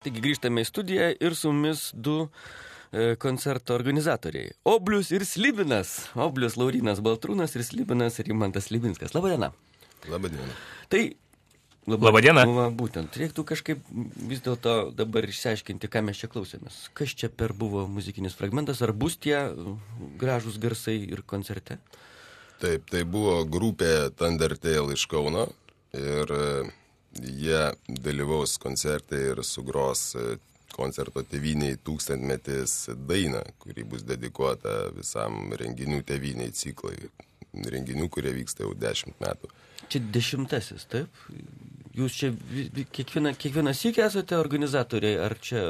Taigi grįžtame į studiją ir su mumis du koncerto organizatoriai. Oblius ir Slibinas. Oblius Laurynas Baltrūnas ir Slibinas Rimantas Slibinskas. Labadiena. Labadiena. Tai Labadiena. Būtent, reiktų kažkaip vis dėlto dabar išsiaiškinti, ką mes čia klausėmės. Kas čia per buvo muzikinis fragmentas, ar bus tie gražūs garsai ir koncerte? Taip, tai buvo grupė Thundertale iš Kauno ir jie dalyvaus koncerte ir sugros koncerto tėvyniai 1000-metis dainą, kuri bus dedikuota visam renginių tėvyniai ciklai. Renginių, kurie vyksta jau 10 metų. Čia 10-asis, taip? Jūs čia kiekvieną sykį esate organizatoriai, ar čia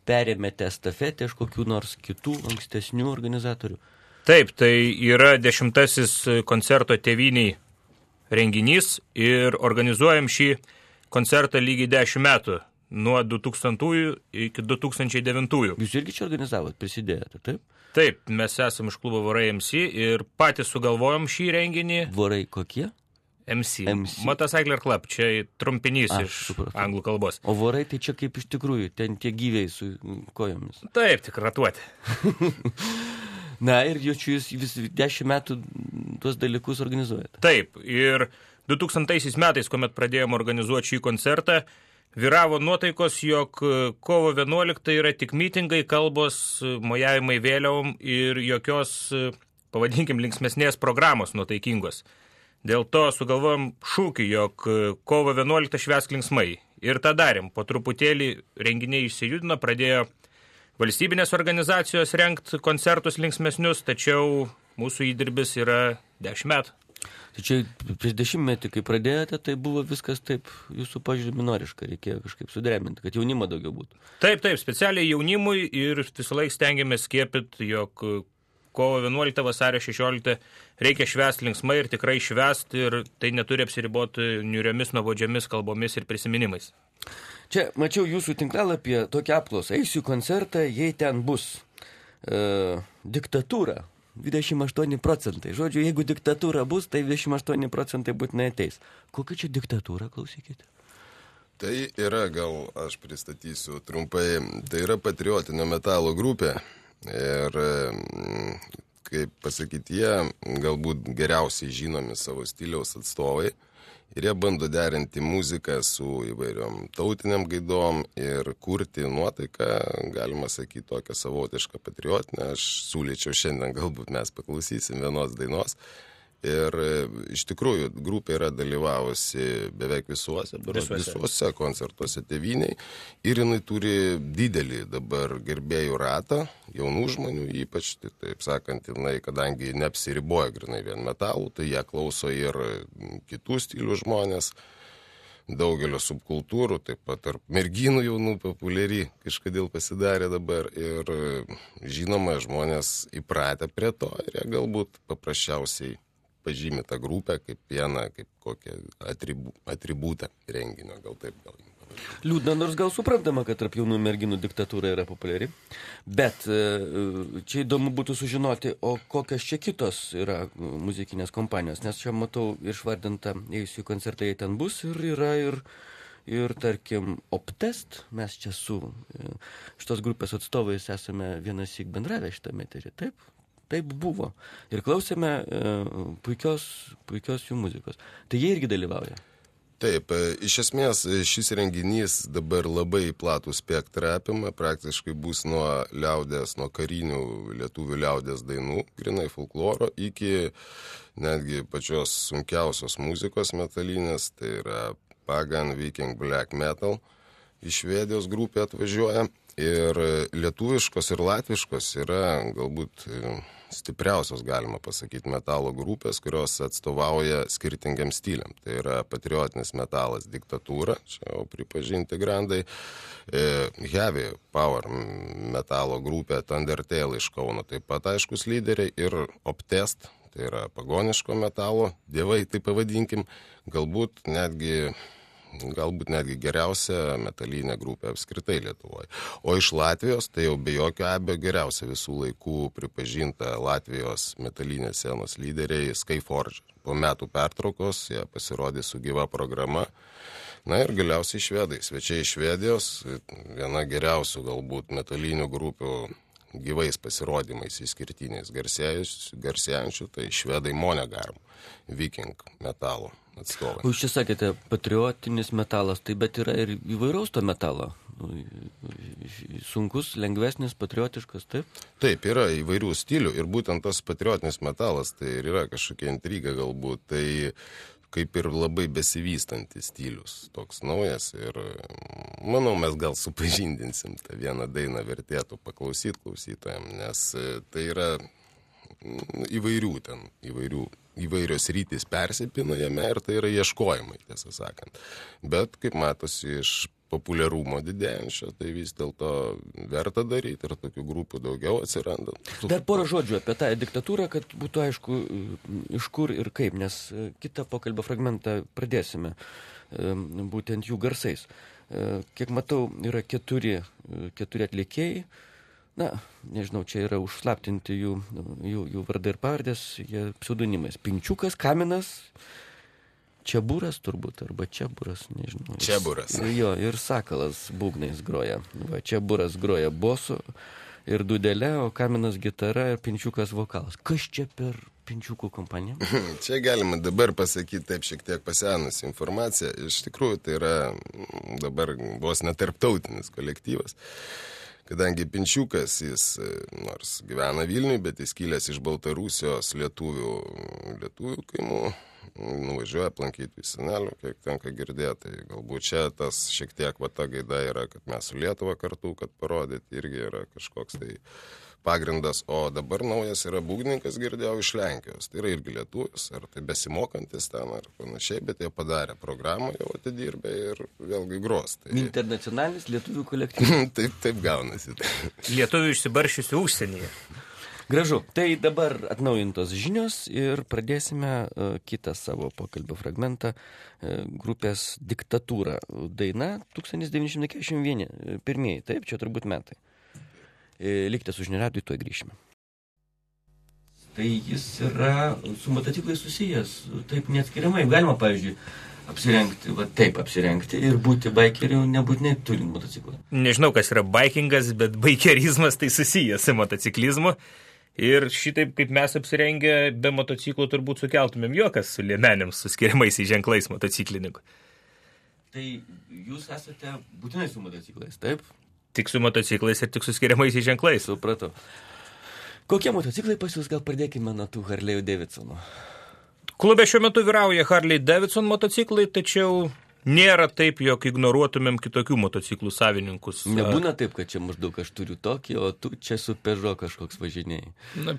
perėmėte estafetę iš kokių nors kitų ankstesnių organizatorių? Taip, tai yra 10-asis koncerto tėvyniai renginys ir organizuojam šį koncertą lygiai 10 metų, nuo 2000 iki 2009. Jūs irgi čia organizavot, prisidėjote, taip? Taip, mes esam iš klubo Vorai MC ir patys sugalvojom šį renginį. Vorai kokie? MC. Motorcycle Club, čia trumpinys iš anglų kalbos. O vorai tai čia kaip iš tikrųjų, ten tie gyviai su kojomis. Taip, tik ratuoti. Na ir jūs vis 10 metų tuos dalykus organizuojate. Taip, ir 2000 metais, kuomet pradėjome organizuoti šį koncertą, vyravo nuotaikos, jog kovo 11 yra tik mitingai, kalbos, mojavimai vėliavom ir jokios, pavadinkim, linksmesnės programos nuotaikingos. Dėl to sugalvojom šūkį, jog kovo 11 švęsk linksmai. Ir tą darėm. Po truputėlį renginiai išsijudino, pradėjo valstybinės organizacijos rengt koncertus linksmesnius, tačiau mūsų įdirbis yra 10 metų. Tai čia prieš 10 metį, kai pradėjote, tai buvo viskas taip jūsų požiūrį minoriška, reikėjo kažkaip sudreminti, kad jaunimo daugiau būtų. Taip, specialiai jaunimui ir visą laiką stengiamės skiepyti, jog kovo 11, vasario 16 reikia švęsti linksmai ir tikrai švęsti ir tai neturi apsiriboti niuriomis, nuobodžiomis kalbomis ir prisiminimais. Čia mačiau jūsų tinklalapyje tokią apklausą. Eisiu koncertą, jei ten bus diktatūra, 28%. Žodžiu, jeigu diktatūra bus, tai 28% būtinai ateis. Kokia čia diktatūra, klausykite? Tai yra, gal aš pristatysiu trumpai, tai yra patriotinio metalo grupė. Ir, kaip pasakyti, jie galbūt geriausiai žinomi savo stiliaus atstovai ir jie bando derinti muziką su įvairiom tautiniam gaidom ir kurti nuotaiką, galima sakyti, tokią savotišką patriotinę. Aš siūlyčiau šiandien, galbūt mes paklausysim vienos dainos. Ir iš tikrųjų grupė yra dalyvavusi beveik visuose koncertuose tėvyniai ir jinai turi didelį dabar gerbėjų ratą, jaunų žmonių, ypač, taip sakant, jinai, kadangi neapsiriboja grinai vien metalų, tai jie klauso ir kitų stilių žmonės, daugelio subkultūrų, taip pat tarp merginų jaunų populiari kažkodėl pasidarė dabar ir žinoma, žmonės įpratę prie to ir jie galbūt paprasčiausiai pažymė tą grupę kaip vieną, kaip kokią atributą renginio, gal taip. Liūdna, nors gal suprantama, kad tarp jaunų merginų diktatūra yra populiari, bet čia įdomu būtų sužinoti, o kokios čia kitos yra muzikinės kompanijos, nes čia matau išvardinta, eisiu į koncertą, jei ten bus, ir yra ir tarkim, Optest, mes čia su šitos grupės atstovais esame vienąsyk bendravę šitame eteryje, taip? Taip buvo. Ir klausėme puikios jų muzikos. Tai jie irgi dalyvauja. Taip, iš esmės šis renginys dabar labai platų spektrą apima, praktiškai bus nuo liaudės, nuo karinių lietuvių liaudės dainų, grinai folkloro, iki netgi pačios sunkiausios muzikos metalinės, tai yra Pagan, Viking, Black Metal, iš Švedijos grupė atvažiuoja. Ir lietuviškos ir latviškos yra galbūt stipriausios, galima pasakyti, metalo grupės, kurios atstovauja skirtingiam stiliam. Tai yra patriotinis metalas Diktatūra, čia jau pripažinti grandai, Heavy Power metalo grupė Thundertale iš Kauno, taip pat aiškus lyderiai, ir Optest, tai yra pagoniško metalo, dievai, tai pavadinkim, galbūt netgi geriausia metalinė grupė apskritai Lietuvoje. O iš Latvijos, tai jau be jokio abejo geriausia visų laikų pripažinta Latvijos metalinės scenos lyderiai Skyforge. Po metų pertraukos jie pasirodė su gyva programa. Na ir galiausiai švedai. Svečiai iš Švedijos, viena geriausių galbūt metalinių grupių gyvais pasirodymais išskirtiniais garsėjančių, tai švedai Monegarm, Viking metalo atstovai. Jūs čia sakėte, patriotinis metalas, tai bet yra ir įvairaus to metalo. Sunkus, lengvesnis, patriotiškas, taip? Taip, yra įvairių stilių ir būtent tas patriotinis metalas, tai ir yra kažkokia intriga galbūt, tai kaip ir labai besivystantis stilius, toks naujas ir manau, mes gal supažindinsim tą vieną dainą, vertėtų paklausyti klausytojams, nes tai yra įvairios rytis persipina jame ir tai yra ieškojimai, tiesą sakant. Bet, kaip matosi iš populiarumo didėjančio, tai vis dėlto verta daryti ir tokių grupių daugiau atsiranda. Dar porą žodžių apie tą diktatūrą, kad būtų aišku, iš kur ir kaip, nes kitą pokalbio fragmentą pradėsime būtent jų garsais. Kiek matau, yra keturi atlikėjai. Na, nežinau, čia yra užslaptinti jų vardai ir pavardės, jie pseudonimais. Pinčiukas, Kaminas, Čiaburas turbūt, arba Čiaburas, nežinau. Čiaburas. Jo, ir Sakalas būgnais groja. Va, Čiaburas groja bosu ir dudelė, o Kaminas gitara ir Pinčiukas vokalas. Kas čia per Pinčiukų kompaniją? Čia galima dabar pasakyti taip šiek tiek pasenusi informacija. Iš tikrųjų, tai yra dabar vos netarptautinis kolektyvas. Kadangi Pinčiukas, jis nors gyvena Vilniuje, bet jis kilęs iš Baltarusijos lietuvių kaimų, nuvažiuoja aplankyti senelių, kiek tenka girdėti. Tai galbūt čia tas šiek tiek ta gaida yra, kad mes su Lietuva kartu, kad parodyti, irgi yra kažkoks tai pagrindas. O dabar naujas yra būgnininkas, girdėjau, iš Lenkijos. Tai yra irgi lietuvis, ar tai besimokantis ten, ar panašiai, bet jie padarė programą, jau atidirbė ir vėlgi gros. Tai internacionalinis lietuvių kolektyvas. Taip gaunasi. Lietuvių išsibaršiusių užsienyje. Gražu. Tai dabar atnaujintos žinios ir pradėsime kitą savo pokalbio fragmentą grupės Diktatūra. Daina 1941. Pirmieji, taip, čia turbūt metai. Likite su žinių radiju, tuoj grįšime. Tai jis yra su motociklais susijęs, taip neatskiriamai. Galima, pavyzdžiui, apsirengti ir būti baikeriu, nebūtinai turint motociklą. Nežinau, kas yra baikingas, bet baikerizmas tai susijęs su motociklizmu. Ir šitaip, kaip mes apsirengę be motociklų, turbūt sukeltumėm juokas su liemenėms, su skiriamaisiais ženklais motociklininkų. Tai jūs esate būtinai su motociklais, taip? Tik su motociklais ir tik su skiriamaisiais ženklais. Supratau. Kokie motociklai pas jūs, gal pradėkime nuo tų Harley'ų Davidsono? Klube šiuo metu vyrauja Harley Davidson motociklai, tačiau nėra taip, jog ignoruotumėm kitokių motociklų savininkus. Nebūna taip, kad čia maždaug aš turiu tokį, o tu čia su Peugeot kažkoks važinėjai. Na,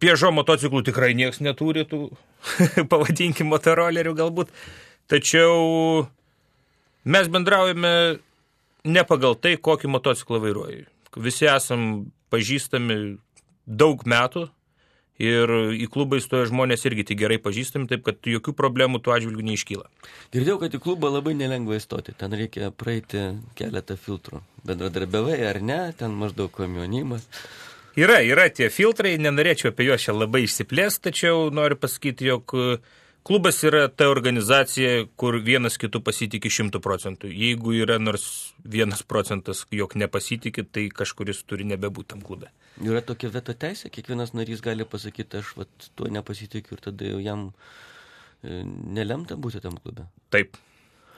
Peugeot motociklų tikrai nieks neturi, tų pavadinkim motorolerių galbūt. Tačiau mes bendraujame ne pagal tai, kokį motociklą vairuoji. Visi esam pažįstami daug metų ir į klubą įstoja žmonės irgi tik gerai pažįstami, taip kad jokių problemų tuo atžvilgiu neiškyla. Girdėjau, kad į klubą labai nelengva įstoti. Ten reikia praeiti keletą filtrų. Bendradarbiavai ar ne, ten maždaug komjonimas. Yra tie filtrai, nenorėčiau apie juos čia labai išsiplėsti, tačiau noriu pasakyti, jog klubas yra ta organizacija, kur vienas kitų pasitikė 100%. Jeigu yra nors 1%, jog nepasitikė, tai kažkuris turi nebebūti tam klube. Yra tokia veto teisė, kiekvienas narys gali pasakyti, aš tuo nepasitikiu ir tada jau jam nelemta būti tam klube. Taip.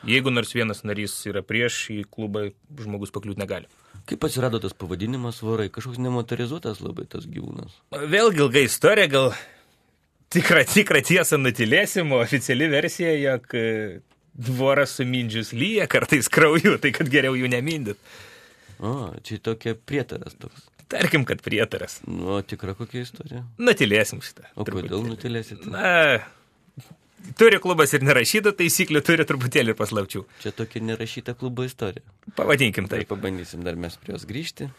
Jeigu nors vienas narys yra prieš, į klubą žmogus pakliūti negali. Kaip atsirado tas pavadinimas Vorai? Kažkoks nemotorizuotas labai tas gyvūnas. Vėlgi ilga istorija, gal tikrą tiesą nutilėsim, o oficiali versija, jog voras sumindžius lyja kartais krauju, tai kad geriau jų nemindyt. O, čia tokia prietaras toks. Tarkim, kad prietaras. O tikra kokia istorija? Nutilėsim šitą. O kodėl nutilėsite? Na, turi klubas ir nerašyta taisyklių, turi truputėlį ir paslapčių. Čia tokia nerašyta klubo istorija. Pavadinkim tai. Pabandysim dar mes prie jos grįžti.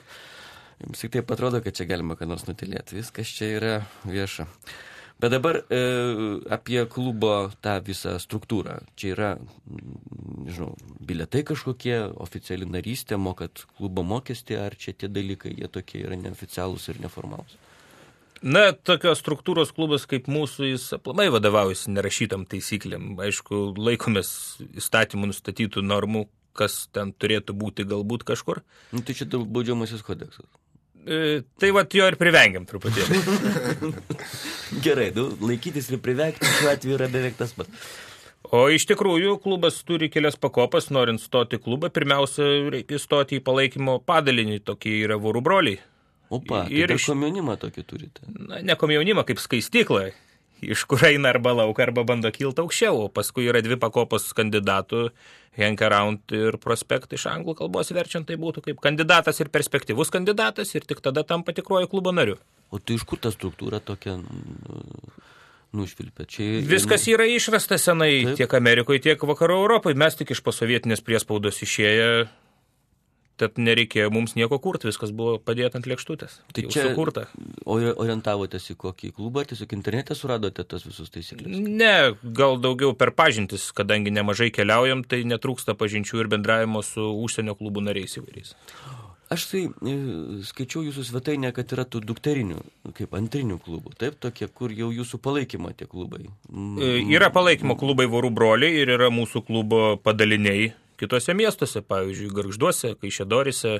Jums tik taip atrodo, kad čia galima ką nors nutilėti. Viskas čia yra vieša. Bet dabar apie klubo tą visą struktūrą. Čia yra, nežinau, bilietai kažkokie, oficiali narystė, mokat klubo mokestį, ar čia tie dalykai, jie tokie yra neoficialūs ir neformalūs? Na, tokios struktūros klubas kaip mūsų, jis aplamai vadovaujasi nerašytam taisyklėm. Aišku, laikomės įstatymų nustatytų normų, kas ten turėtų būti galbūt kažkur. Nu, tai čia baudžiamasis kodeksas. Tai vat jo ir privengiam truputėlį. Gerai, laikytis ir privengti šiuo atveju yra beveik tas pats. O iš tikrųjų, klubas turi kelias pakopas, norint stoti į klubą. Pirmiausia, reikia stoti į palaikymo padalinį, tokie yra vorų broliai. Opa, ir tai komjaunimą tokį turite. Na, ne komjaunimą, kaip skaistyklą, iš kur eina arba lauką, arba bando kilti aukščiau. O paskui yra 2 pakopos kandidatų, hang around ir prospect, iš anglų kalbos verčiant tai būtų kaip kandidatas ir perspektyvus kandidatas, ir tik tada tampa tikruoju klubo nariu. O tai iš kur ta struktūra tokia nušvilpė? Čia Viskas yra išrasta senai, taip, tiek Amerikoje, tiek vakarų Europoje. Mes tik iš posovietinės priespaudos išėję, tad nereikėjo mums nieko kurti, viskas buvo padėta ant lėkštutės. Tai čia sukurta. Orientavotės į kokį klubą, tiesiog internete suradote tas visus taisyklės? Ne, gal daugiau per pažintis, kadangi nemažai keliaujam, tai netrūksta pažinčių ir bendravimo su užsienio klubų nariais įvairiais. Aš tai skaičiau jūsų svetainę, kad yra tų dukterinių, kaip antrinių klubų, taip, tokie, kur jau jūsų palaikymo tie klubai. Yra palaikymo klubai vorų broliai ir yra mūsų klubo padaliniai kitose miestuose, pavyzdžiui, Gargžduose, Kaišiadoryse.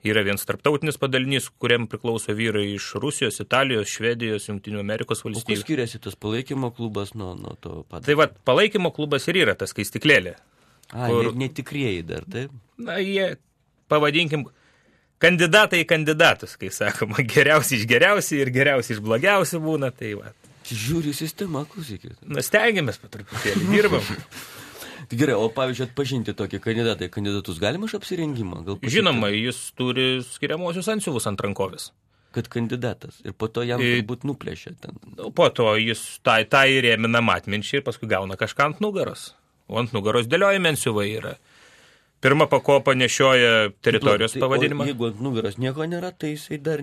Yra vienas tarptautinis padalinys, kuriam priklauso vyrai iš Rusijos, Italijos, Švedijos, Jungtinių Amerikos valstybių. O kuo skiriasi tas palaikymo klubas nuo to padalinio? Tai va, palaikymo klubas ir yra tas skaistiklėlė. Jie netikrieji dar, taip? Na, jie, pavadinkim, kandidatai į kandidatus, kai sakoma, geriausi iš geriausių ir geriausi iš blogiausių būna, tai va. Žiūri sistema, klausykit. Na, stengiamės patruputėlį, dirbam. Gerai, o pavyzdžiui, atpažinti tokį kandidatus galima iš apsirengimo? Žinoma, jis turi skiriamosius antsiuvus ant rankovės. Kad kandidatas. Ir po to jam turbūt nuplėšia ten. Po to jis tą įrėmina matmenčiai ir paskui gauna kažką ant nugaros. O ant nugaros dėliojami antsiuvai yra. Pirma pakopa nešioja teritorijos pavadinimą. O jeigu ant nugaros nieko nėra, tai jisai dar...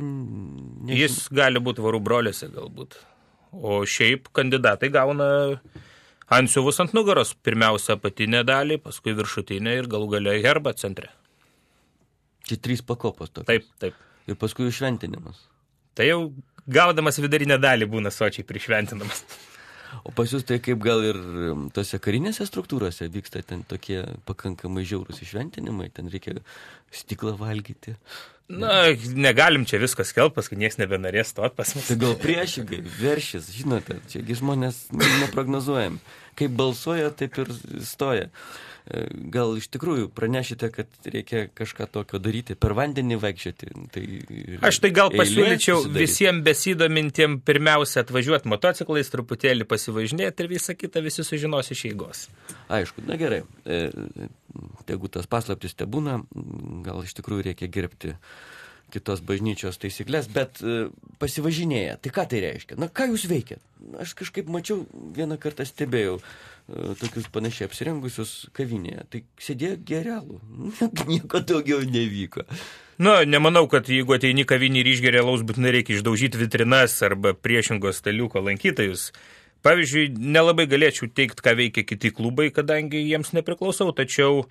Jis gali būti vorų broliuose galbūt. O šiaip kandidatai gauna antsiuvus ant nugaros. Pirmiausia apatinę dalį, paskui viršutinę ir galų gale herbą centre. Čia 3 pakopos tokios. Taip, taip. Ir paskui šventinimas. Tai jau gaudamas vidurinę dalį būna sočiai prišventinamas. O pas jūs tai kaip gal ir tose karinėse struktūrose vyksta ten tokie pakankamai žiaurūs išventinimai, ten reikia stiklą valgyti. Na, negalim čia viskas skelbt, paskui nieks nebenarės stot pas mus. Tai gal priešingai, veršis, žinote, čiagi žmonės neprognozuojam. Kaip balsuoja, taip ir stoja. Gal iš tikrųjų pranešite, kad reikia kažką tokio daryti, per vandenį vaikščioti. Aš tai gal pasiūlyčiau visiems besidomintiem pirmiausia atvažiuoti motociklais, truputėlį pasivažinėti ir visą kitą visi sužinos iš eigos. Aišku, na gerai, tegu tas paslaptis tebūna, gal iš tikrųjų reikia gerbti kitos bažnyčios taisyklės, bet pasivažinėja. Tai ką tai reiškia? Na, ką jūs veikiat? Aš kažkaip mačiau, vieną kartą stebėjau tokius panašiai apsirengusius kavinėje. Tai sėdėjo gerialų. Nieko daugiau nevyko. Na, nemanau, kad jeigu ateini kavinį ir išgeria alaus, būtinai reikia išdaužyti vitrinas arba priešingos staliuko lankytojus. Pavyzdžiui, nelabai galėčiau teikti, ką veikia kiti klubai, kadangi jiems nepriklausau, tačiau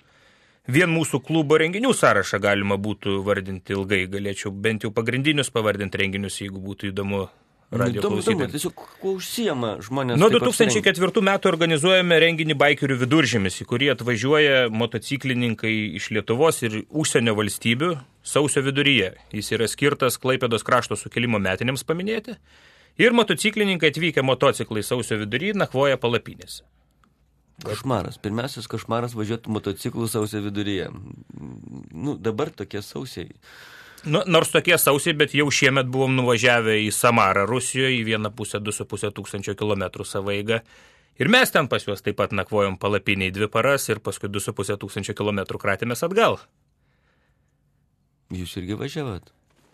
vien mūsų klubo renginių sąrašą galima būtų vardinti ilgai. Galėčiau bent jau pagrindinius pavardinti renginius, jeigu būtų įdomu radijo klausytojams. Tiesiog, kuo užsiema žmonės? Nuo 2004 metų organizuojame renginį Baikerių viduržemis, į kurį atvažiuoja motociklininkai iš Lietuvos ir užsienio valstybių sausio viduryje. Jis yra skirtas Klaipėdos krašto sukilimo metinėms paminėti. Ir motociklininkai atvykę motociklai sausio viduryje nakvoja palapinėse. Košmaras. Pirmiausias košmaras važiuoti motociklų sausio viduryje. Nu, dabar tokie sausiai. Nors tokie sausiai, bet jau šiemet buvom nuvažiavę į Samarą Rusijoje, į 1,5–2,5 tūkstančio kilometrų savo eigą. Ir mes ten pas juos taip pat nakvojom palapiniai 2 paras ir paskui 2,5 tūkstančio kilometrų kratėmės atgal. Jūs irgi važiavat?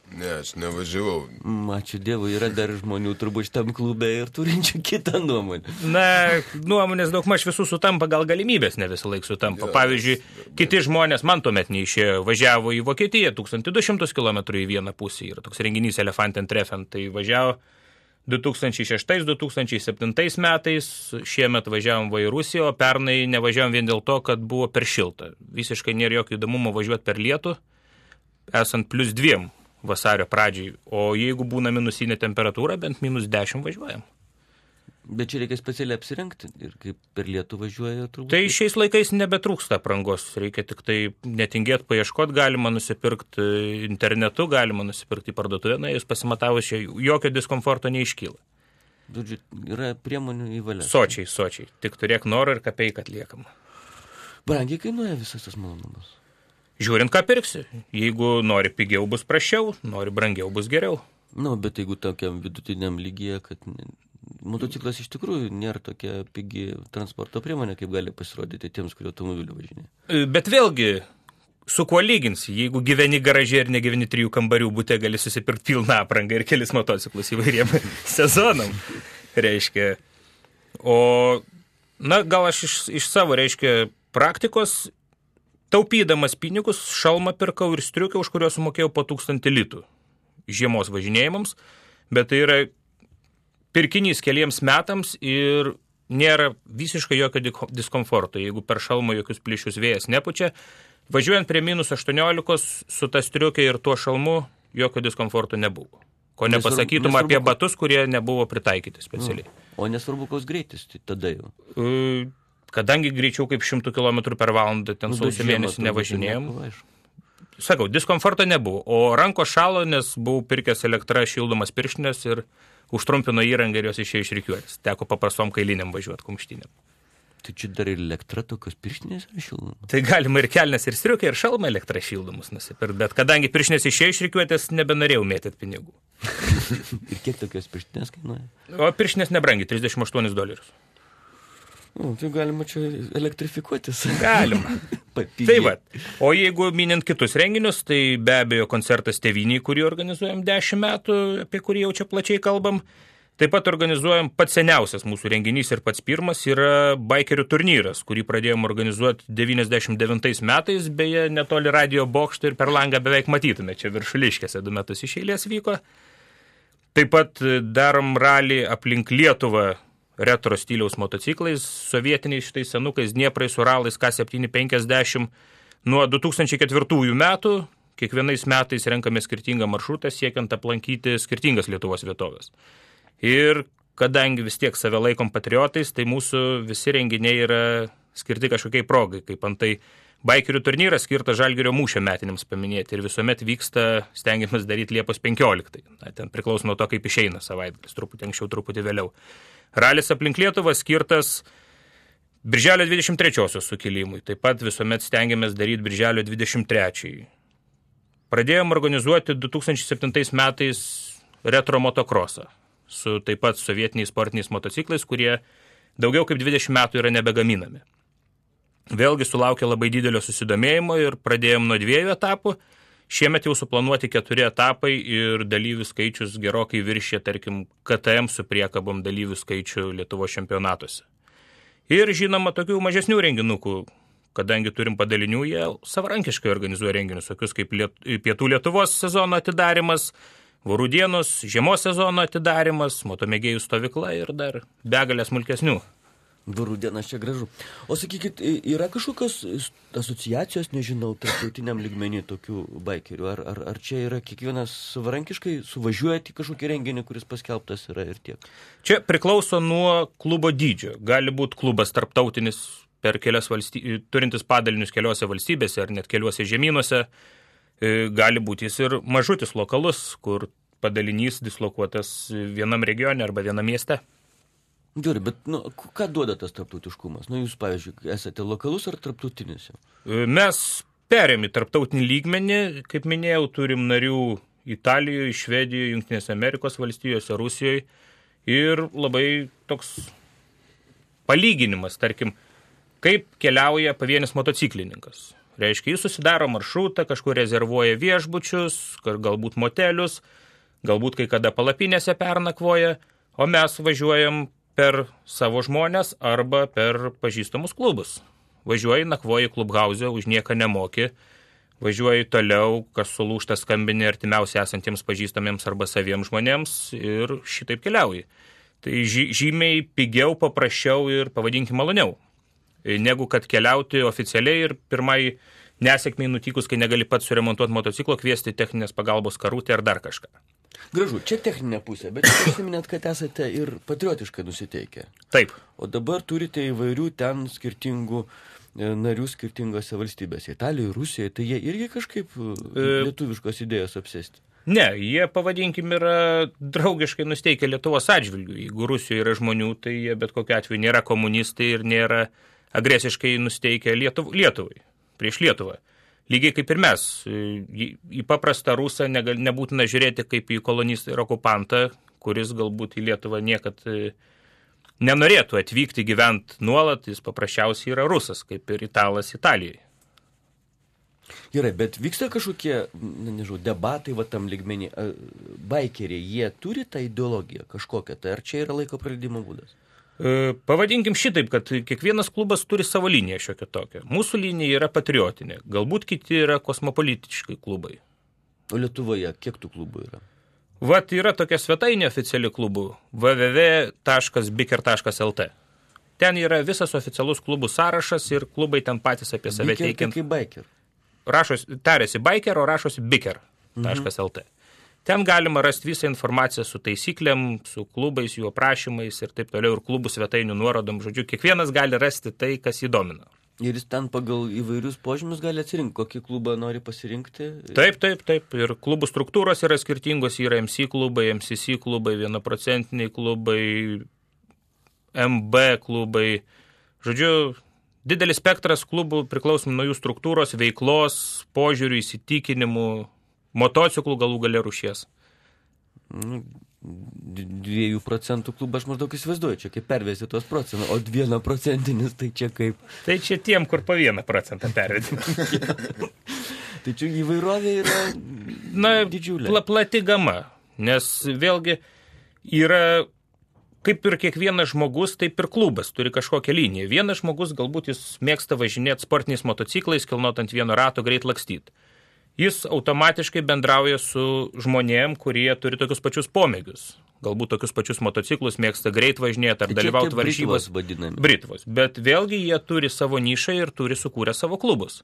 Ne, aš nevažiavau. Ačiū Dievui, yra dar žmonių turbūt šitam klube ir turinčių kitą nuomonę. Na, nuomonės daugmaž visų sutampa, gal galimybės ne visą laiką sutampa. Pavyzdžiui, kiti žmonės, man tuomet neišėjo, važiavo į Vokietiją 1200 km į vieną pusę. Yra toks renginys Elefanten-Treffen, tai važiavo 2006–2007 metais, šiemet važiavom į Rusiją, o pernai nevažiavom vien dėl to, kad buvo per šilta. Visiškai nėra jokio įdomumo važiuoti per lietų, esant +2 vasario pradžiai, o jeigu būna minusinė temperatūra, bent -10 važiuojam. Bet čia reikia specialiai apsirengti ir kaip per lietų važiuoja turbūt. Tai šiais laikais nebetrūksta aprangos, reikia tik tai netingėti paieškoti, galima nusipirkti internetu, galima nusipirkti į parduotuvę, na, jūs pasimatavus, jokio diskomforto neiškyla. Žodžiu, yra priemonių į valią. Sočiai, tik turėk norą ir kapeiką atliekam. Brangiai kainuoja visas tas malonumas. Žiūrint, ką pirksi. Jeigu nori pigiau, bus prasčiau, nori brangiau, bus geriau. Nu, bet jeigu tokiam vidutiniam lygyje, kad motociklas iš tikrųjų nėra tokia pigi transporto priemonė, kaip gali pasirodyti tiems, kurie automobiliu važinėja. Bet vėlgi, su kuo lyginsi? Jeigu gyveni garaže ir negyveni 3 kambarių bute, gali susipirkti pilną aprangą ir kelis motociklus įvairiem sezonam. Reiškia. O, na, gal aš iš savo, reiškia, praktikos, taupydamas pinigus, šalmą pirkau ir striukę, už kurio sumokėjau po 1000 litų žiemos važinėjimams, bet tai yra pirkinys keliems metams ir nėra visiškai jokio diskomforto. Jeigu per šalmą jokius plyšius vėjas nepučia, važiuojant prie -18 su ta striukė ir tuo šalmu jokio diskomforto nebuvo. Ko nepasakytum apie batus, kurie nebuvo pritaikyti specialiai. O nesvarbu, koks greitis, tai tada jau. Kadangi greičiau kaip 100 km per valandą ten sausio mėnesį nevažinėjom. Sakau, diskomforto nebuvo. O rankos šalo, nes buvau pirkęs elektrą šildomas pirštinės ir užtrumpino įrangą ir jos išėjo iš rikiuotės. Teko paprastom kailiniam važiuoti kumštinėm. Tai čia dar ir elektra tokios pirštinės yra šildomas? Tai galima ir kelnes, ir striukę, ir šalmą elektrą šildomus nusipirkti. Bet kadangi pirštinės išėjo iš rikiuotės, nebenorėjau mėtyti pinigų. Ir kiek tokios pirštinės kainuoja? O pirštinės nebrangiai, $38. Tai galima čia elektrifikuotis. Galima. Tai va. O jeigu minint kitus renginius, tai be abejo koncertas Tėvynei, kurį organizuojam 10 metų, apie kurį jau čia plačiai kalbam. Taip pat organizuojam pats seniausias mūsų renginys ir pats pirmas yra baikerių turnyras, kurį pradėjom organizuoti 99 metais, beje, netoli radio bokšto ir per langą beveik matytume, čia Viršuliškėse 2 metus iš eilės vyko. Taip pat darom ralį aplink Lietuvą retro stiliaus motociklais, sovietiniais šitais senukais, Dnieprais, Uralais, K750. Nuo 2004 metų, kiekvienais metais renkame skirtingą maršrutą, siekiant aplankyti skirtingas Lietuvos vietovės. Ir kadangi vis tiek save laikom patriotais, tai mūsų visi renginiai yra skirti kažkokiai progai, kaip antai baikerių turnyras skirtas Žalgirio mūšio metinėms paminėti ir visuomet vyksta, stengiamės daryti Liepos 15. Na, ten priklauso nuo to, kaip išeina savaitgalis, truputį anksčiau, truputį vėliau. Ralis aplink Lietuvą skirtas Birželio 23 sukilimui, taip pat visuomet stengiamės daryti Birželio 23. Pradėjom organizuoti 2007 metais retro motokrosą su taip pat sovietiniais sportiniais motociklais, kurie daugiau kaip 20 metų yra nebegaminami. Vėlgi sulaukė labai didelio susidomėjimo ir pradėjom nuo 2 etapų. Šiemet jau suplanuoti 4 etapai ir dalyvių skaičius gerokai viršė, tarkim, KTM su priekabom dalyvių skaičių Lietuvos čempionatuose. Ir žinoma, tokių mažesnių renginukų, kadangi turim padalinių, jie savarankiškai organizuoja renginius, tokius kaip Pietų Lietuvos sezono atidarimas, Vorų dienos, žiemos sezono atidarimas, motomėgėjų stovykla ir dar begalė smulkesnių. Vorų dienas čia gražu. O sakykit, yra kažkokios asociacijos, nežinau, tarptautiniam lygmenį tokių baikerių? Ar čia yra kiekvienas savarankiškai suvažiuojate į kažkokį renginį, kuris paskelbtas yra ir tiek? Čia priklauso nuo klubo dydžio. Gali būti klubas tarptautinis per kelias turintis padalinius keliose valstybėse ar net keliuose žemynuose. Gali būti jis ir mažutis lokalus, kur padalinys dislokuotas vienam regione arba vienam mieste. Gerai, bet ką duoda tas tarptautiškumas? Jūs, pavyzdžiui, esate lokalus ar tarptautinis? Mes perėm į tarptautinį lygmenį, kaip minėjau, turim narių Italijoje, Švedijoje, Jungtinėse Amerikos valstijose, Rusijoje ir labai toks palyginimas, tarkim, kaip keliauja pavienis motociklininkas. Reiškia, jis susidaro maršrutą, kažkur rezervuoja viešbučius, galbūt motelius, galbūt kai kada palapinėse pernakvoja, o mes važiuojam per savo žmonės arba per pažįstamus klubus. Važiuoji, nakvoji klubhauze, už nieką nemoki, važiuoji toliau, kas sulūžta skambini artimiausiai esantiems pažįstamiems arba saviems žmonėms ir šitaip keliauji. Tai žymiai pigiau, paprasčiau ir pavadinkim maloniau, negu kad keliauti oficialiai ir pirmai nesėkmiai nutikus, kai negali pats suremontuoti motociklo, kviesti techninės pagalbos karutę ar dar kažką. Gražu, čia techninė pusė, bet jūs užsiminėt, kad esate ir patriotiškai nusiteikę. Taip. O dabar turite įvairių ten skirtingų narių skirtingose valstybėse. Italijoje, Rusijoje, tai jie irgi kažkaip lietuviškos idėjos apsėsti. Ne, jie, pavadinkim, yra draugiškai nusteikę Lietuvos atžvilgių. Jeigu Rusijoje yra žmonių, tai jie bet kokiu atveju nėra komunistai ir nėra agresiškai nusteikę Lietuvai, prieš Lietuvą. Lygiai kaip ir mes. Į paprastą rusą nebūtina žiūrėti kaip į kolonistą ir okupantą, kuris galbūt į Lietuvą niekad nenorėtų atvykti gyventi nuolat, jis paprasčiausiai yra rusas, kaip ir italas Italijoje. Gerai, bet vyksta kažkokie, debatai va tam lygmenį. Baikeriai, jie turi tą ideologiją kažkokią, tai ar čia yra laiko praleidimo būdas? Pavadinkim šitaip, kad kiekvienas klubas turi savo liniją šiokią tokią. Mūsų linija yra patriotinė, galbūt kiti yra kosmopolitiškai klubai. O Lietuvoje kiek tų klubų yra? Vat yra tokia svetainė oficiali klubų www.biker.lt. Ten yra visas oficialus klubų sąrašas ir klubai ten patys apie save teikiant. Biker kaip biker? Tarėsi biker, o rašosi biker.lt. Ten galima rasti visą informaciją su taisyklėm, su klubais, jų aprašymais ir taip toliau, ir klubų svetainių nuorodom. Žodžiu, kiekvienas gali rasti tai, kas jį domina. Ir jis ten pagal įvairius požymius gali atsirinkti, kokį klubą nori pasirinkti? Taip. Ir klubų struktūros yra skirtingos, yra MC klubai, MCC klubai, 1% klubai, MB klubai. Žodžiu, didelis spektras klubų priklausom nuo jų struktūros, veiklos, požiūrių, įsitikinimų, motociklų galų gale rūšies. 2% klubą aš maždaug įsivaizduoju, čia kaip pervesti tos procentų, o 1% tai čia kaip... Tai čia tiem, kur po 1% pervedi. Tai čia įvairovė yra didžiulė. Plati gama, nes vėlgi yra, kaip ir kiekvienas žmogus, taip ir klubas turi kažkokią liniją. Vienas žmogus galbūt jis mėgsta važinėti sportiniais motociklais, kilnot ant vieno rato, greit lakstyti. Jis automatiškai bendrauja su žmonėm, kurie turi tokius pačius pomėgius. Galbūt tokius pačius motociklus mėgsta greit važinėti ar dalyvauti varžybos. Britvos. Bet vėlgi jie turi savo nišą ir turi sukūrę savo klubus,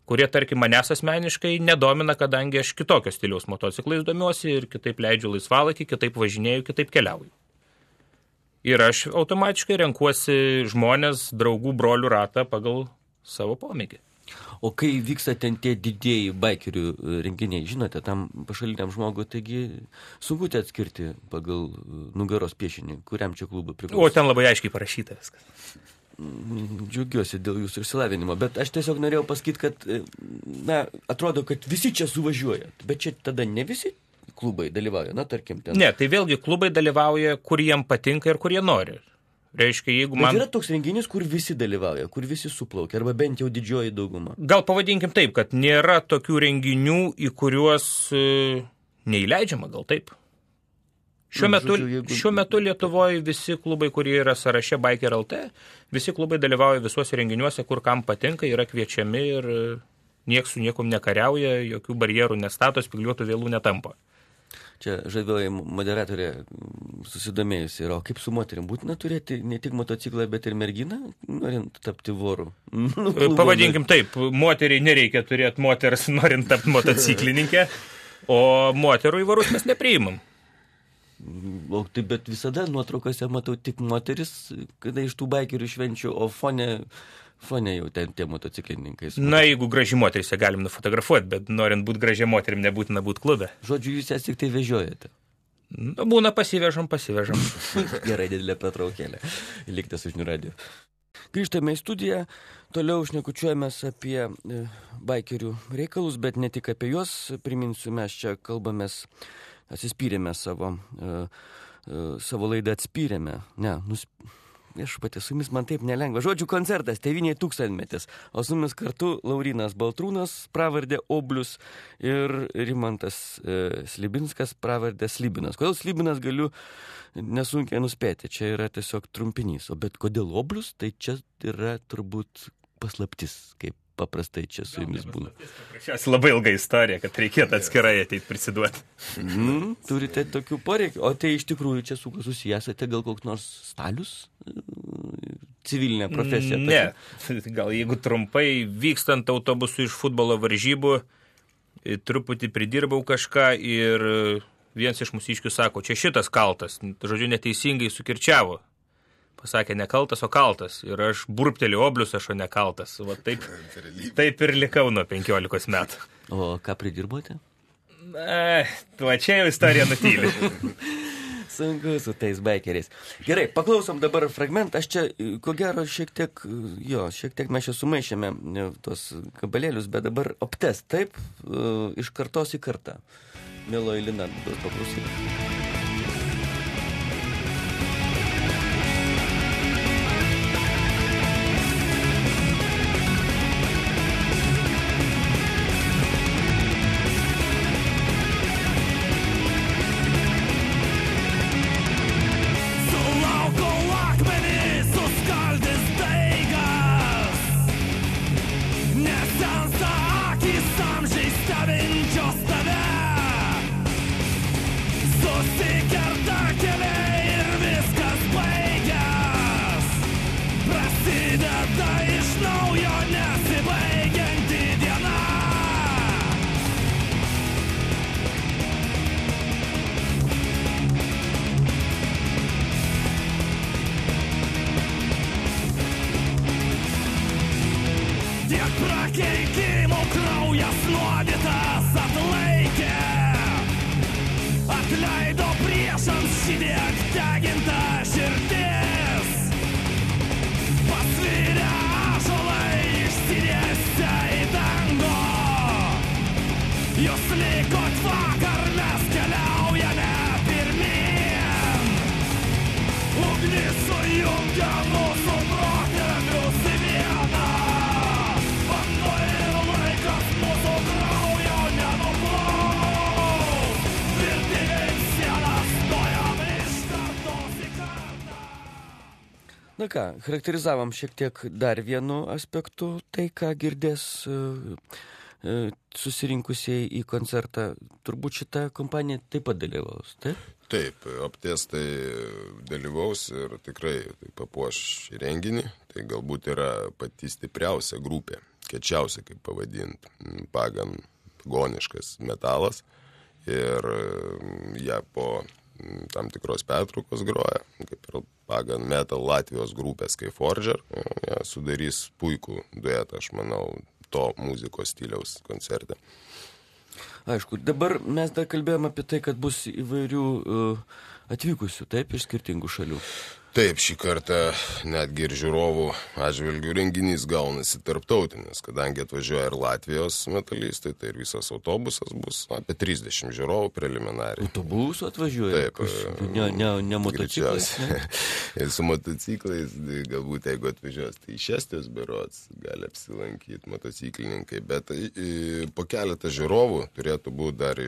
kurie, tarkim, manęs asmeniškai nedomina, kadangi aš kitokio stiliaus motociklais domiuosi ir kitaip leidžiu laisvalaikį, kitaip važinėju, kitaip keliauju. Ir aš automatiškai renkuosi žmonės, draugų, brolių ratą pagal savo pomėgį. O kai vyksta ten tie didieji baikerių renginiai, žinote, tam pašaliniam žmogui, taigi sunku atskirti pagal nugaros piešinį, kuriam čia klubui priklauso. O ten labai aiškiai parašyta viskas. Džiaugiuosi dėl jūsų išsilavinimo, bet aš tiesiog norėjau pasakyti, kad, atrodo, kad visi čia suvažiuoja, bet čia tada ne visi klubai dalyvauja, tarkim ten. Ne, tai vėlgi klubai dalyvauja, kur jiem patinka ir kur jie nori. Reiškia, jeigu man... Bet yra toks renginys, kur visi dalyvauja, kur visi suplaukia, arba bent jau didžioji dauguma. Gal pavadinkim taip, kad nėra tokių renginių, į kuriuos neįleidžiama, gal taip. Šiuo metu Lietuvoje visi klubai, kurie yra sąraše Biker LT, visi klubai dalyvauja visuose renginiuose, kur kam patinka, yra kviečiami ir nieks su niekom nekariauja, jokių barjerų nestato, spygliuotų vėlų netampa. Čia žavioji moderatorė susidomėjusi yra, o kaip su moterim būtina turėti ne tik motociklą, bet ir merginą, norint tapti voru? Pavadinkim taip, moteriai nereikia turėti moters, norint tapti motociklininkę, o moterų į varus mes nepriimam. O tai bet visada nuotraukose matau tik moteris, kada iš tų baikerių švenčių, o fone jau ten tie motociklininkai. Na, jeigu graži moteris, galim nufotografuoti, bet norint būti gražia moterim, nebūtina būti klube. Žodžiu, jūs jas tik tai vežiojate. Būna pasivežam. Gerai, didelė pertraukėlė. Likite su Žinių radiju. Grįžtame į studiją, toliau šnekučiuojamės apie baikerių reikalus, bet ne tik apie juos. Priminsiu, mes čia kalbamės, atsispyrėme savo laidą atspyrėme. Viešpatie, su jumis man taip nelengva. Žodžių koncertas, Tėvynėje tūkstantmetis. O su jumis kartu Laurynas Baltrūnas, pravardė Oblius, ir Rimantas Slibinskas, pravardė Slibinas. Kodėl Slibinas galiu nesunkiai nuspėti. Čia yra tiesiog trumpinys. O bet kodėl Oblius, tai čia yra turbūt paslaptis, kaip paprastai čia su jumis būna. Šias labai ilga istorija, kad reikėtų atskirai ateit prisiduoti. Turite tokių poreikių. O tai iš tikrųjų čia su kuo susijęsate, gal koks nors stalius? civilinė profesija? Ne, gal jeigu trumpai, vykstant autobusu iš futbolo varžybų, truputį pridirbau kažką ir vienas iš mūsiškių sako, čia šitas kaltas, žodžiu, neteisingai sukirčiavo. Pasakė, ne kaltas, o kaltas. Ir aš burptelėjau oblius, o ne kaltas. Va, taip ir likau nuo 15 metų. O ką pridirbote? Čia jau istorija nutyli. Sunku su tais baikeriais. Gerai, paklausom dabar fragmentą. Aš čia, ko gero, šiek tiek mes čia sumaišėme tos kabalėlius, bet dabar optes, taip, iš kartos į kartą. Mieloji Lina, duos paklausyti. Na ką, charakterizavom šiek tiek dar vienu aspektu, tai ką girdės susirinkusiai į koncertą. Turbūt šitą kompaniją taip pat dalyvaus, taip? Taip, optes tai dalyvaus ir tikrai tai papuoš renginį. Tai galbūt yra pati stipriausia grupė, kiečiausia, kaip pavadint, pagoniškas metalas. Ir ją po tam tikros pertraukos groja, kaip ir pagan metal Latvijos grupės Skyforger. Jie sudarys puikų duetą, aš manau, to muzikos stiliaus koncerte. Aišku, dabar mes dar kalbėjome apie tai, kad bus įvairių atvykusių, taip, iš skirtingų šalių. Taip, šį kartą netgi ir žiūrovų atžvilgių renginys gaunasi tarptautinis, kadangi atvažiuoja ir Latvijos metalistai, tai ir visas autobusas bus apie 30 žiūrovų preliminariai. Autobusų atvažiuoja? Taip. Ne motociklais? Ir su motociklais, galbūt jeigu atvažiuos, tai iš Estijos berods gali apsilankyti motociklininkai, bet po keletą žiūrovų turėtų būti dar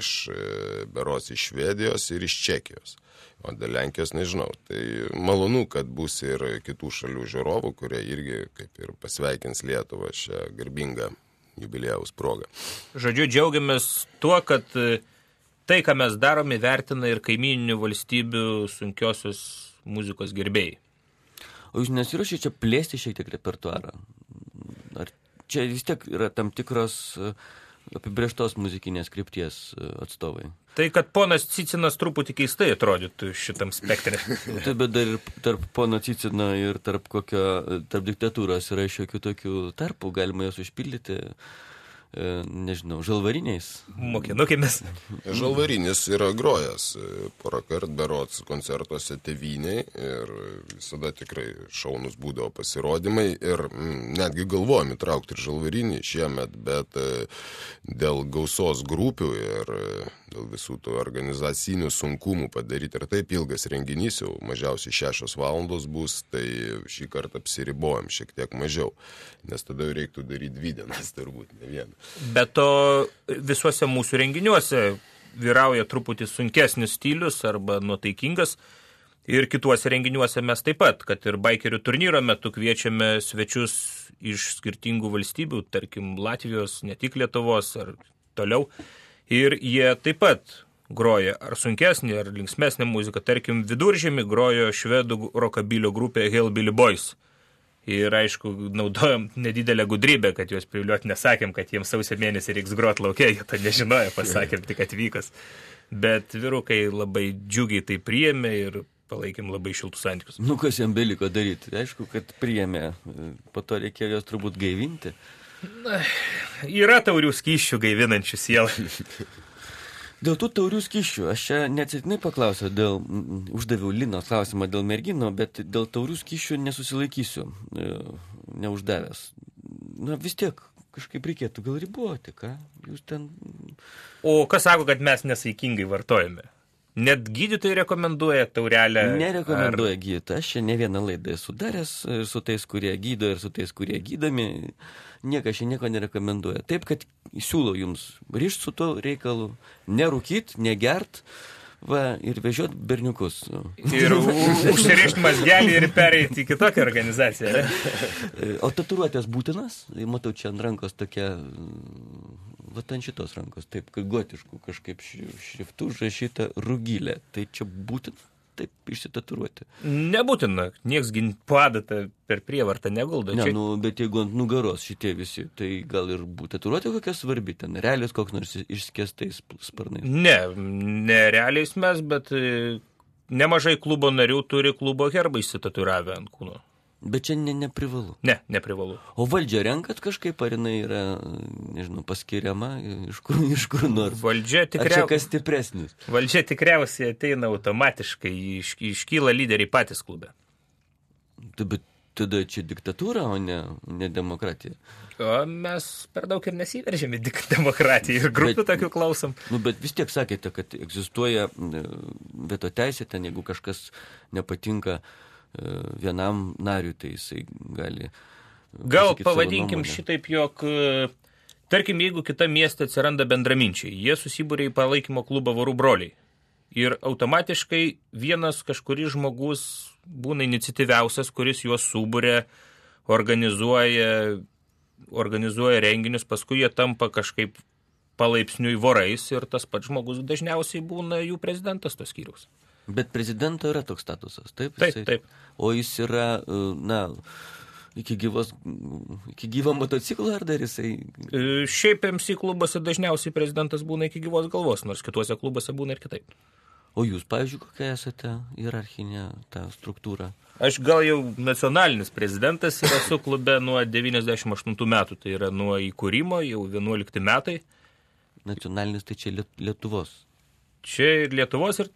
berods iš Švedijos ir iš Čekijos. O dėl Lenkijos nežinau. Tai malonu, kad bus ir kitų šalių žiūrovų, kurie irgi kaip ir pasveikins Lietuvą šią garbingą jubiliejaus progą. Žodžiu, džiaugiamės tuo, kad tai, ką mes darome, vertina ir kaimyninių valstybių sunkiosios muzikos gerbėjai. O jūs nesiruošite čia plėsti šiek tiek repertuarą? Ar čia vis tiek yra tam tikros apibrėžtos muzikinės krypties atstovai? Tai, kad ponas Cicinas truputį keistai atrodytų šitam spektre. Taip, bet dar ir tarp pono Cicino ir tarp diktatūros yra šiokių tokių tarpų, galima jos užpildyti, nežinau, žalvariniais. Mokinukėmis. Žalvarinis yra grojęs porą kartų berods koncertuose tėvynėj ir visada tikrai šaunus būdavo pasirodymai ir netgi galvojom įtraukti ir žalvarinį šiemet, bet dėl gausos grupių ir dėl visų tų organizacinių sunkumų padaryti ir taip ilgas renginys, jau mažiausiai 6 valandos bus, tai šį kartą apsiribojom šiek tiek mažiau, nes tada jau reiktų daryti 2 dienas, turbūt, ne vieną. Bet to visuose mūsų renginiuose vyrauja truputį sunkesnis stilius arba nuotaikingas ir kituose renginiuose mes taip pat, kad ir baikerių turnyro metu kviečiame svečius iš skirtingų valstybių, tarkim Latvijos, ne tik Lietuvos ar toliau. Ir jie taip pat groja ar sunkesnį, ar linksmesnį muziką. Tarkim, Viduržemį grojo švedų rokabilio grupė Hellbilly Boys. Ir aišku, naudojom nedidelę gudrybę, kad juos priviliuoti, nesakėm, kad jiems sausio mėnesį reiks grot laukia, jie to nežinojo, pasakėm tik atvykas. Bet vyrukai labai džiugiai tai priėmė ir palaikėm labai šiltus santykius. Nu, kas jam beliko daryti? Aišku, kad priėmė, po to reikėjo jos turbūt gaivinti. Na, yra taurių skysčių gaivinančių sielą. Dėl tų taurių skysčių, aš čia neatsitiktinai paklausiau, uždaviau Linos klausimą dėl mergino, bet dėl taurių skysčių nesusilaikysiu, neuždavęs. Na, vis tiek kažkaip reikėtų gal riboti, ką? Jūs ten... O kas sako, kad mes nesaikingai vartojame? Net gydytojai rekomenduoja taurelę? Nerekomenduoja gydytojai. Aš čia ne vieną laidą esu daręs su tais, kurie gydo ir su tais, kurie gydomi. Niekas čia nieko nerekomenduoja. Taip, kad siūlau jums ryšt su tuo reikalu, nerūkyt, negert, va, ir vežiot berniukus. Ir užsirišt mazgelį ir pereiti į kitokią organizaciją. O tatuiruotės būtinas? Matau, čia ant rankos tokia... Vat ant šitos rankos, taip, gotiškų kažkaip šriftų užrašyta rugilė. Tai čia būtina taip išsitatuiruoti? Nebūtina. Nieks padatą per prievartą neguldo. Ne, nu, bet jeigu ant nugaros šitie visi, tai gal ir tatuiruotė kokia svarbi, ten realiais koks nors išskėstais sparnais? Ne realiais mes, bet nemažai klubo narių turi klubo herbą išsitatuiravę ant kūno. Bet čia neprivalu. Ne, neprivalu. O valdžia renkat kažkaip, ar jinai yra, nežinau, paskiriama iš kur nors? Valdžia tikriausiai... Ar čia kas stipresnis? Valdžia tikriausiai ateina automatiškai, iškyla lyderiai patys klube. Bet tada čia diktatūra, o ne demokratija. O mes per daug ir nesiveržėme demokratiją ir grupių tokių klausom. Nu, bet vis tiek sakėte, kad egzistuoja veto teisė, ten jeigu kažkas nepatinka vienam nariui, tai jisai gali... Gal pavadinkim šitaip, jog, tarkim, jeigu kita mieste atsiranda bendraminčiai, jie susibūrė į palaikymo klubą Vorų broliai. Ir automatiškai vienas kažkuris žmogus būna iniciatyviausias, kuris juos subūrė, organizuoja renginius, paskui jie tampa kažkaip palaipsniui vorais ir tas pats žmogus dažniausiai būna jų prezidentas tos skyriaus. Bet prezidento yra toks statusas, taip? Taip. O jis yra, iki gyvo motociklo ar dar jisai? Šiaip MC klubuose dažniausiai prezidentas būna iki gyvos galvos, nors kituose klubuose būna ir kitaip. O jūs, pavyzdžiui, kokia esate hierarchinė ta struktūra? Aš gal jau nacionalinis prezidentas ir esu klube nuo 98 metų, tai yra nuo įkūrimo, jau 11 metai. Nacionalinis tai čia Lietuvos? Čia ir Lietuvos ir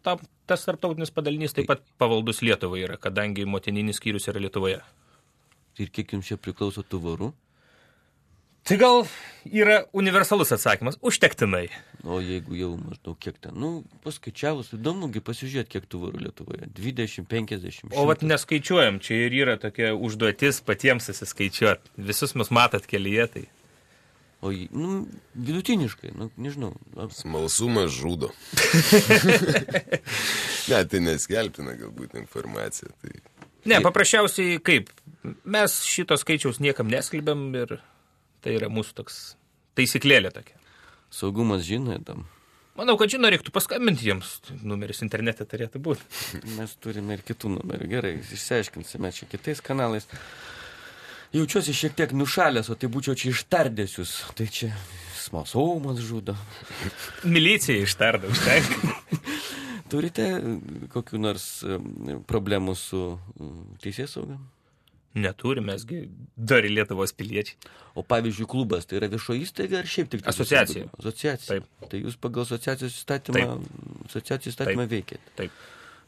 tas tarptautinis padalinys taip pat pavaldus Lietuvai yra, kadangi motininis skyrius yra Lietuvoje. Ir kiek jums čia priklauso tų vorų? Tai gal yra universalus atsakymas, užtektinai. O jeigu jau maždaug kiek ten, paskaičiavus, įdomugi pasižiūrėti, kiek tų vorų Lietuvoje. 20, 50, 100. O vat neskaičiuojam, čia ir yra tokia užduotis patiems susiskaičiuoti. Visus mus matot kelyje, tai... O vidutiniškai, nežinau. Smalsumas žudo. Ne, tai neskelbtina galbūt informacija. Tai... Ne, paprasčiausiai kaip? Mes šito skaičiaus niekam neskelbėm ir tai yra mūsų toks taisyklėlė tokia. Saugumas žino tam? Manau, kad žino, reiktų paskambinti jiems. Numeris internete turėtų būti. Mes turime ir kitų numerių. Gerai, išsiaiškinsime čia kitais kanalais. Jaučiuosi šiek tiek nušalęs, o tai būčiau čia ištardęs jūs. Tai čia smalsumas žudo. Milicija ištardė, užtenka. Turite kokių nors problemų su teisėsauga? Neturime, mesgi dar į Lietuvos piliečiai. O pavyzdžiui, klubas, tai yra viešo įstaiga ar šiaip tik... Asociacija. Asociacija. Taip. Tai jūs pagal asociacijos įstatymą veikėte. Taip.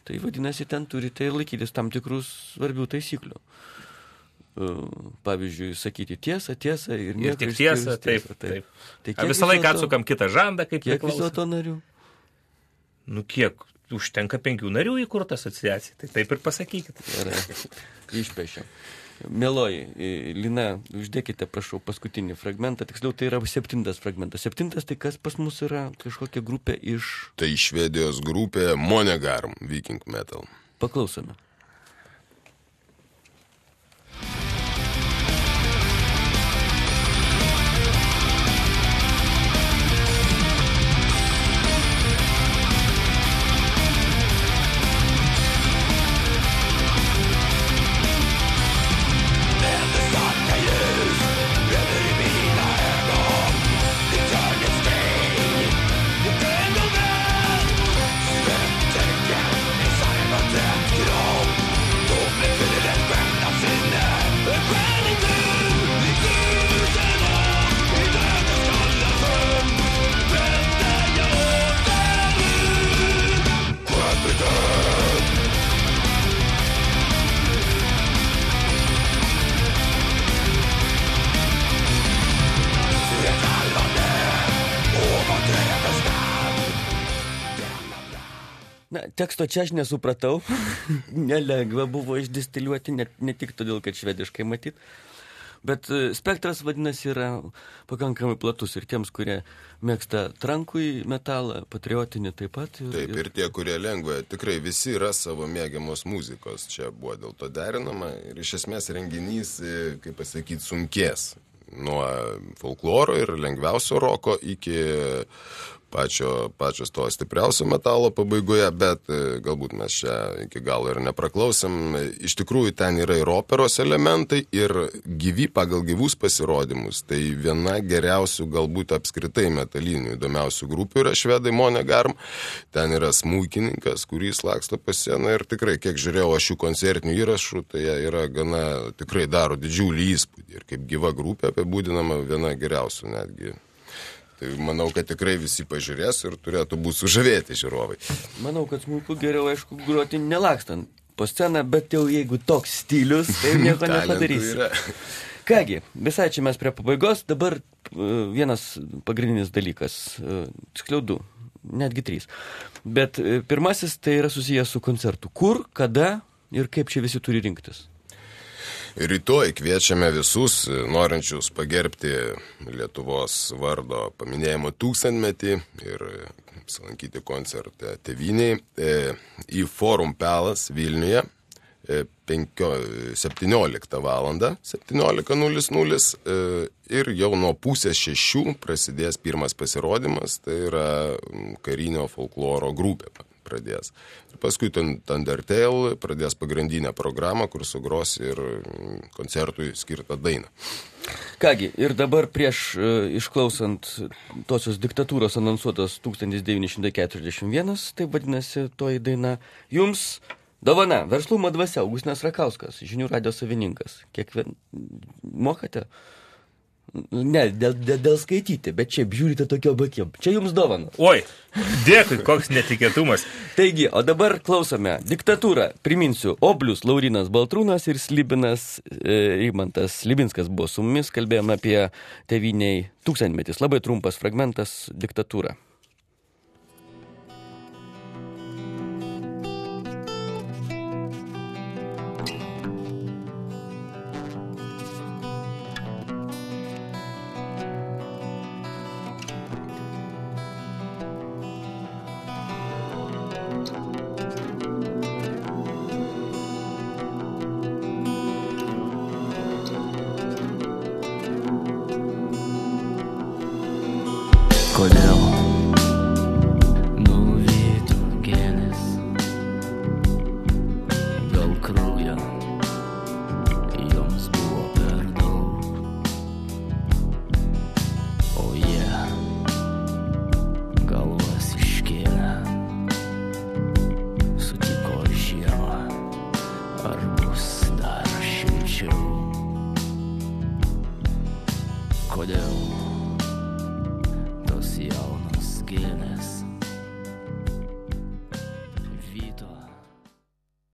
Tai vadinasi, ten turite laikytis tam tikrus svarbių taisyklių. Pavyzdžiui, sakyti tiesą ir nieko. Ir tik tiesą, taip. Tai visą laiką atsukam kitą žandą, kaip kiek vis dėlto narių? Kiek? Užtenka 5 narių įkurta asociacija. Tai taip ir pasakykit. Gerai, išpešiam. Mieloji, Lina, uždėkite, prašau, paskutinį fragmentą. Tiksliau, tai yra 7 fragmentas. 7 tai kas pas mus yra kažkokia grupė iš... Tai Švedijos grupė Monegarm, Viking Metal. Paklausome. Na, teksto čia aš nesupratau. Nelengva buvo išdistiliuoti, ne tik todėl, kad švediškai matyt. Bet spektras, vadinasi, yra pakankamai platus ir tiems, kurie mėgsta trankui metalą, patriotinį taip pat. Taip, ir tie, kurie lengva, tikrai visi yra savo mėgiamos muzikos. Čia buvo dėl to derinama ir iš esmės renginys, kaip pasakyti, sunkės. Nuo folkloro ir lengviausio roko iki pačios to stipriausio metalo pabaigoje, bet galbūt mes čia iki galo ir nepraklausėm. Iš tikrųjų, ten yra ir operos elementai, ir pagal gyvus pasirodymus. Tai viena geriausių, galbūt apskritai metalinių įdomiausių grupių yra švedai Monegarm. Ten yra smuikininkas, kuris laksto po sceną ir tikrai, kiek žiūrėjau aš jų koncertinių įrašų, tai jie yra gana, tikrai daro didžiulį įspūdį. Ir kaip gyva grupė apibūdinama viena geriausių netgi. Tai manau, kad tikrai visi pažiūrės ir turėtų būti sužavėti žiūrovai. Manau, kad smuiku geriau, aišku, groti nelakstant po sceną, bet jau jeigu toks stilius, tai nieko nepadarysi. Kągi, visai čia mes prie pabaigos, dabar vienas pagrindinis dalykas, tiksliau 2, netgi 3. Bet pirmasis tai yra susijęs su koncertu. Kur, kada ir kaip čia visi turi rinktis? Rytoj kviečiame visus norinčius pagerbti Lietuvos vardo paminėjimo 1000-metį ir apsilankyti koncerte tėvynėj į Forum Palace Vilniuje 17 valandą, 17:00 ir jau nuo 5:30 prasidės pirmas pasirodymas, tai yra karinio folkloro grupė pradės. Ir paskui Thundertale pradės pagrindinę programą, kur sugros ir koncertui skirtą dainą. Kągi, ir dabar prieš išklausant tosios diktatūros anonsuotos 1941, tai vadinasi toji daina, jums dovana, verslumo dvasia, Augustinas Rakauskas, Žinių radijo savininkas. Mokate? Ne, dėl skaityti, bet čia žiūrite tokio bakim. Čia jums dovana. Oi, dėkui, koks netikėtumas. Taigi, o dabar klausome diktatūrą. Priminsiu, Oblius Laurinas Baltrūnas ir Slibinas Rimantas Slibinskas buvo su mumis. Kalbėjome apie tėvyniai 1000-metis. Labai trumpas fragmentas diktatūra. Kodėl